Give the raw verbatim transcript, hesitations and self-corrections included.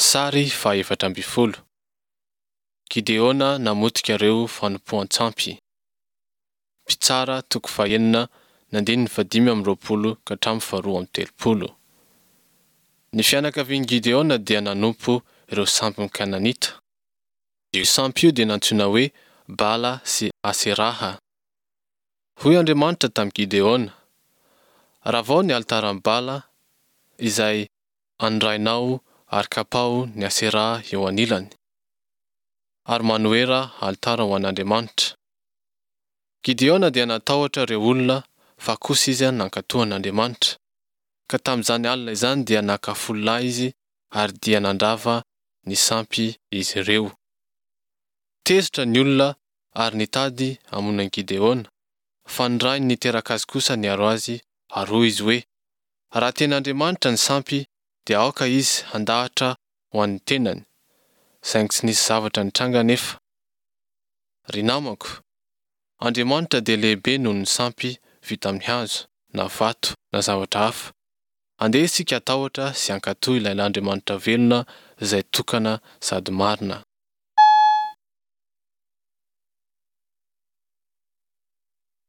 Sary fahaefatra ambin'ny folo. Gideona namotika ireo fanompoan-tsampy. Mpitsara toko fahenina ny andininy fahadimy amby roapolo ka hatramin'ny faharoa amby telopolo. Ny fianakavian'i Gideona dia nanompo ireo sampin'ny Kananita. Io sampy io dia nantsoina hoe Bala sy Aseraha. Hoy Andriamanitra tamin'i Gideona, Ravao ny alitaran'i Bala izay an'ny rainao ary kapao ny Aseraha eo anilany, ary manoera alitara ho an'Andriamanitra. Gideona dia natahotra ireo olona fa kosa izy nankatò an'Andriamanitra. Ka tamin'izany alina izany dia naka folo lahy izy ary dia nandrava ny sampy izy ireo. Tezitra ny olona ary nitady hamono an'i Gideona, fa ny rainy niteraka azy kosa niaro azy ary hoy izy hoe, Raha tena Andriamanitra ny sampy dia aoka izy handahatra ho an'ny tenany. Saingy tsy nisy zavatra nitranga anefa. Ry namako, Andriamanitra dia lehibe noho ny sampy vita amin'ny hazo, na vato, na zavatra hafa. Andeha isika hatahotra sy hankatò ilay Andriamanitra velona izay tokana sady marina.